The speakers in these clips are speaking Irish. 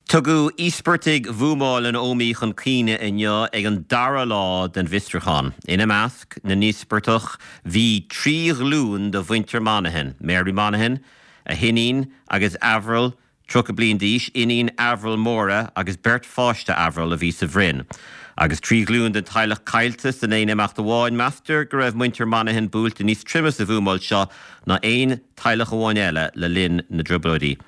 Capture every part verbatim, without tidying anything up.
Tugadh íospartaigh bhuamáil an Ómaigh chun cuimhne inniu ag an dara lá den bhfiosrúchán. Ina measc na n-íospartach bhí trí ghlúin de mhuintir Monaghan, Mary Monaghan, a hiníon agus Avril, tríocha bliain d'aois, iníon Avril Máire agus beirt pháiste Avril a bhí sa bhroinn. Agus trí ghlúin den teaghlach caillte san aon imeacht amháin, meastar go raibh muintir Monaghan buailte níos troime sa bhuamáil seo ná aon teaghlach amháin eile le linn na dTrioblóidí.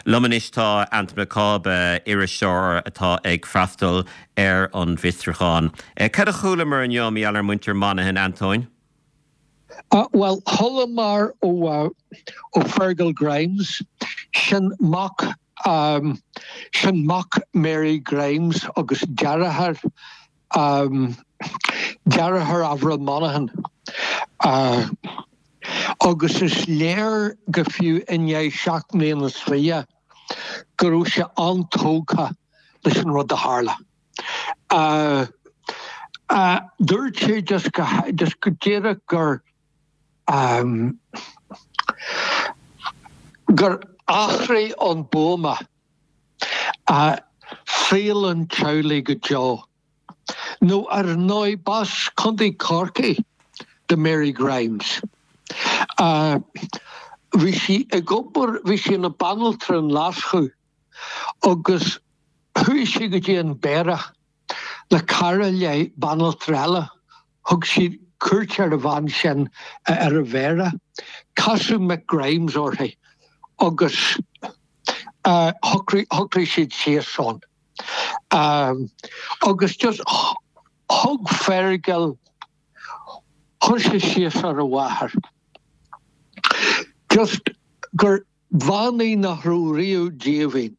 Liom anois tá Anton Mac Cába, iriseoir atá ag freastal ar an bhfiosrúchán. Cad a chualamar inniu mar gheall ar muintir Monaghan, Antóin? Uh, well, chualamar ó uh, ó Fergal Grimes, sin mac um, sin mac Mary Grimes agus deartháir um, deartháir Avril Monaghan. Uh, agus is léir go fiú i ndiaidh seacht mbliana is fiche go raibh sé an-tógtha leis an rud a tharla. Uh, uh, dúirt sé just go, just go díreach gur um, gur athraigh an buama uh, saol an teaghlaigh go deo. Nó ar ndóigh b'as Contae Chorcaí do Mary Grimes. Uh, bhí sí ag obair bhí sí ina banaltra in Leaschu agus chuaigh sí go dtí an Béarach le cara léi banaltra eile thug sí cuairt ar an bhean sin ar an Bhéarach, Casadh Mick Grimes uirthi agus uh, shocraigh siad síos ann. Um, agus just thug Fergal chuir sé síos ar a mháthair. Just gur bhean í nach raibh riamh díomhaoin.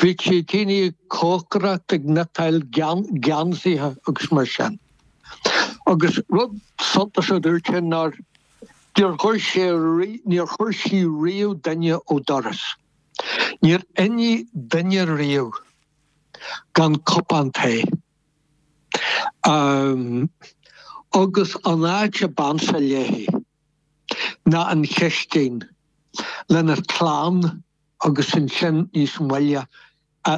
Bhí sí daoine ag cócaireacht ag cniotáil geansaithe agus mar sin. Agus rud suntasach a dúirt sé ná níor chuir sé níor chuir sí riamh duine ó doras. Níor imigh duine riamh gan cupán tae. Um, agus an áit a b'ansa léi ná an chistin lena clann agus ansin níos moille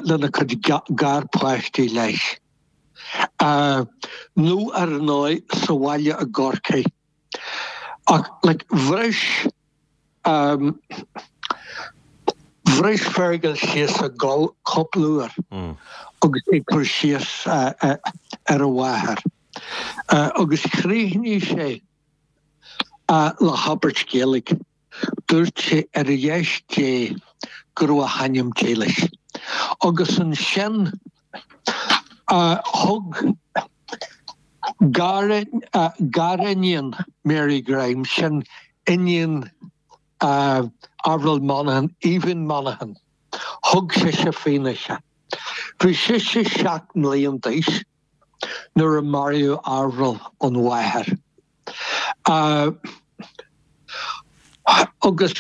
lena cuid garpháistí leis. Uh, nó ar ndóigh sa bhaile i gCorcaigh. Ach like, bhris um, bhris Fergal síos ag gol cúpla uair mm. agus ag cur síos uh, uh, ar a mháthair. Uh, agus chríochnaigh sé uh, le habairt Ghaeilge. Dúirt sé ar dheis Dé go raibh a hanam dílis. Agus ansin uh, thug gariníon Mary Grimes sin iníon uh, Avril Monaghan, Aoibhinn Monaghan, thug sise fianaise. Bhí sise seacht mbliana d'aois nuair a maraíodh Avril an mháthair. Uh, agus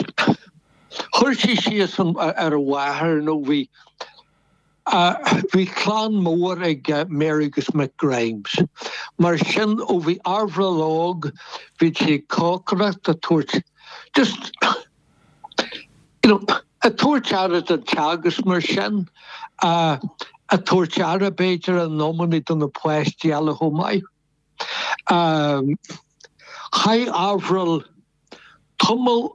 chuir sí síos ar a mháthair nó bhí bhí clann mór ag Mary agus Mick Grimes. Mar sin ó bhí Avril óg bhí sí ag cócaireacht ag tabhairt just you know, ag tabhairt aire don teach agus mar sin uh, ag tabhairt aire b'fhéidir in amanna do na páistí eile chomh maith. Um, Chaith Avril tamall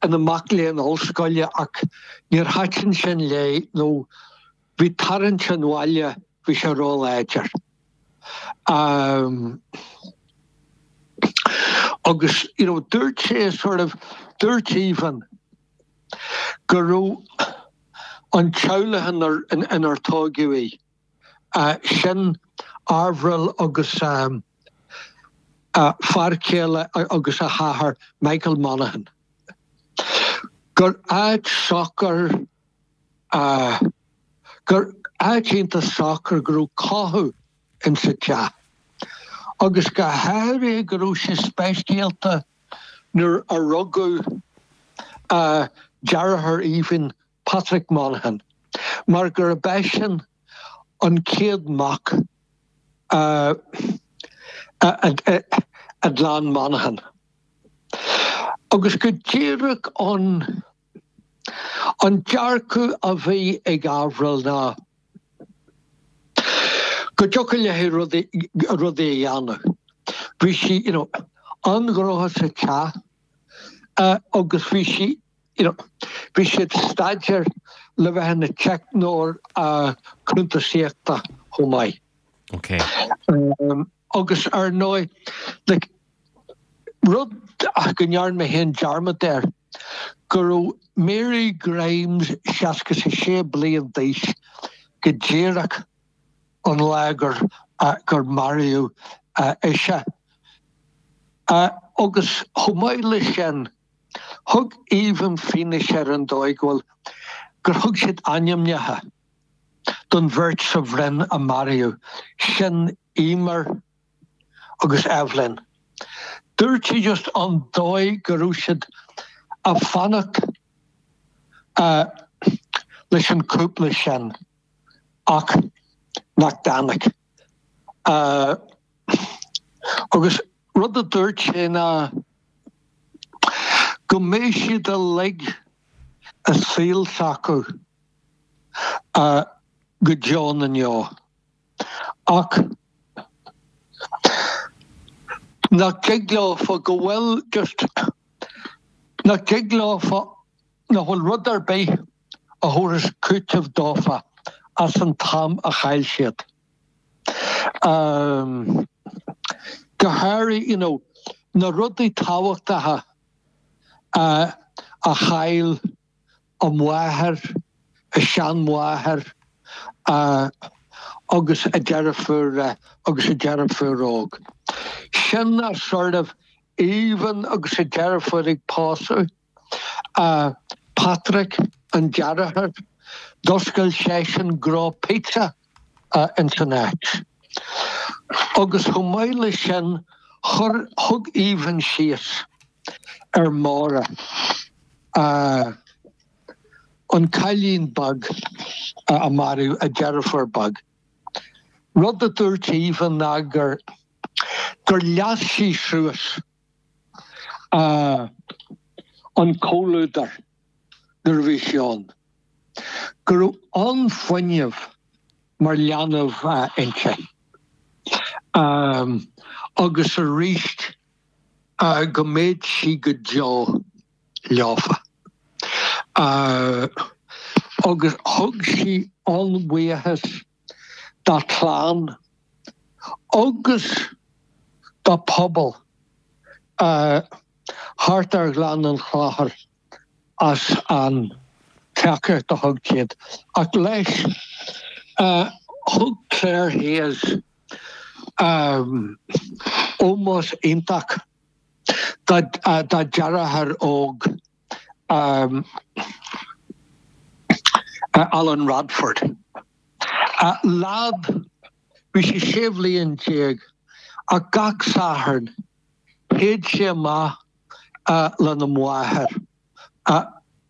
ina mac léinn ollscoile ach níor thaitin sin léi nó bhí tarraingt an bhaile bhí sé róláidir. Um, agus you know, dúirt sé sort of dúirt Aoibhinn go raibh an teaghlach inar tógadh í. Uh, sin Avril agus um, uh, fear céile agus a hathair Michael Monaghan. Gur áit socair uh, gur áit iontach socair go raibh cothú in sa teach. Agus go háirithe go raibh sé speisialta nuair a rugadh uh, deartháir Aoibhinn Patrick Monaghan, mar gurb eisean an chéad mac uh, a gclann Monaghan. Agus go díreach an An dearcadh a bhí ag Avril ná go dtiocfadh léi rudaí a dhéanamh. Bhí sí you know, an-ghnóthach sa teach agus bhí sí you know, bhí sí ag staidéar le bheith ina teicneoir cuntasaíochta chomh maith. Okay. Um, agus ar ndóigh like, rud go ndearna mé féin dearmad air go raibh Mary Grimes seasca is a sé bliain d'aois go díreach an lá gur uh, gur maraíodh uh, ise. Uh, agus chomh maith le sin thug Aoibhinn fianaise ar an dóigh go bhfuil gur thug siad ainmneacha don bheirt sa bhroinn a maraíodh, sin Emer agus Evelyn. Dúirt sí just an dóigh go raibh siad ag fanacht uh, leis an cúpla sin ach nach dtáinig. Uh, agus rud a dúirt sé ná go mbeidh siad uilig i saol s'acu uh, go deo na ndeor. Ach nach dtig leofa go bhfuil just nach dtig leofa nach bhfuil rud ar bith a thabharfas cúiteamh dófa as an t-am a chaill siad. Um, go háirithe you know, na rudaí tábhachtacha uh, a chaill a máthair, a seanmháthair uh, agus a deirfiúr uh, agus a deirfiúr óg. Sin a sort of Aoibhinn agus a deirfiúr ag pósadh. Uh, Patrick an deartháir, d'oscail seisean gnó pizza uh, in san áit. Agus chomh maith le sin chuir thug Aoibhinn síos ar Máire uh, an cailín beag uh, a maraíodh a deirfiúr beag. Rud a dúirt Aoibhinn ná gur gur leas sí suas uh, an comhluadar nuair a bhí sí ann. Go raibh an-fhuinneamh mar leanbh uh, inti. Um, agus arís uh, go mbeidh sí go deo leofa. Uh, agus thug sí an-bhuíochas dá clann agus dá pobal uh, thart ar Ghleann an Chlochair as an tacaíocht a thug siad. Ach leis uh, thug Claire Hayes um, ómós iontach dá uh, dá deartháir óg um, uh, Alan Radford. Uh, leaid bhí sé sé bliana déag ach gach Satharn théadh sé amach uh, lena mháthair uh,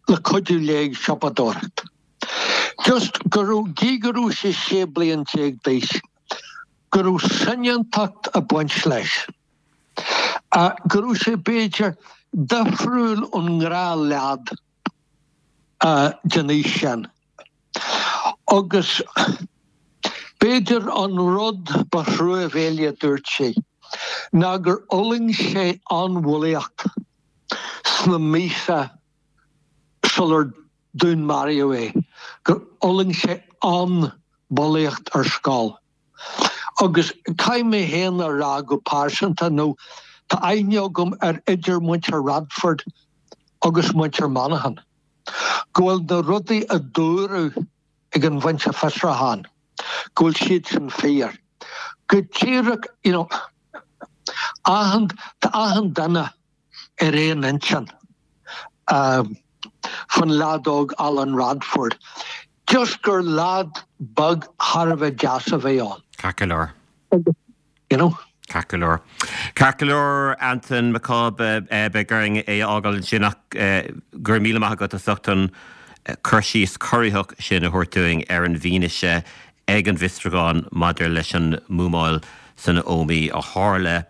le cuidiú léi ag siopadóireacht. Just go raibh gí go raibh sé sé bliana déag d'aois, go raibh soineantacht ag baint leis. Uh, go raibh sé b'fhéidir difriúil ón ngnáthleaid uh, den aois sin. Agus b'fhéidir an rud ba thruamhéalaí a dúirt sé, ná gur fhulaing sé an-bhulaíocht sna míosa sular dúnmaraíodh é, gur fhulaing sé an-bhulaíocht ar scoil. Agus caithfidh mé féin a rá go pearsanta nó tá aithne agam ar idir muintir Radford agus muintir Monaghan. Go bhfuil na rudaí a dúradh ag an bhinse fiosrúcháin, go bhfuil siad sin fíor. Go díreach you know, achan tá achan duine ar aon intinn um, faoin leaid óg Alan Radford. Just gur leaid beag thar a bheith deas a bhí ann. Ceart go leor. You know? Ceart go leor. Ceart go leor Anton Mac Cába beidh orainn é a fhágáil ansin ach go raibh míle maith agat as ucht an cur síos corraitheach sin a thabhairt dúinn ar an bhfianaise ag an bhfiosrúchán maidir leis an mbuamáil san Ómaigh a tharla.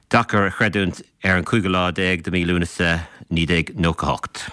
Deacair a chreidiúint ar an cúigiú lá déag de mhí Lúnasa naoi déag nócha hocht.